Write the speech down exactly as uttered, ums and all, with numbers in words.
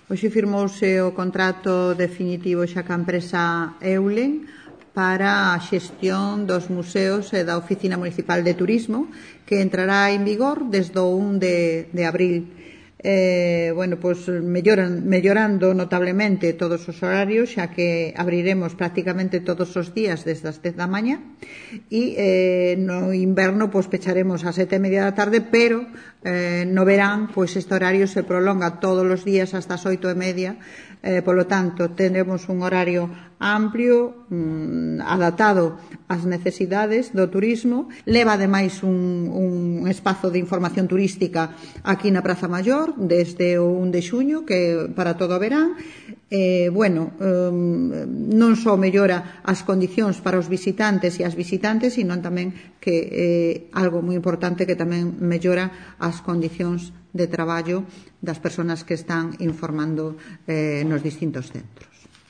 Hoxe firmouse o contrato definitivo xa ca empresa Eulen para a xestión dos museos e da Oficina Municipal de Turismo, que entrará en vigor desde o un de, de abril. Eh, bueno, pues melloran, mellorando notablemente todos os horarios, xa que abriremos prácticamente todos os días desde as dez da mañá e eh, no inverno pues pecharemos a sete e media da tarde, pero eh, no verán pues este horario se prolonga todos os días hasta as oito e media. Eh, polo tanto, tendremos un horario amplio, mmm, adaptado ás necesidades do turismo. Leva, ademais, un, un espazo de información turística aquí na Praza Maior, desde o un de xuño, que para todo o verán. Eh, bueno, eh, non só mellora as condicións para os visitantes e as visitantes, sino tamén que eh, algo moi importante que tamén mellora as condicións de traballo das persoas que están informando eh, nos distintos centros.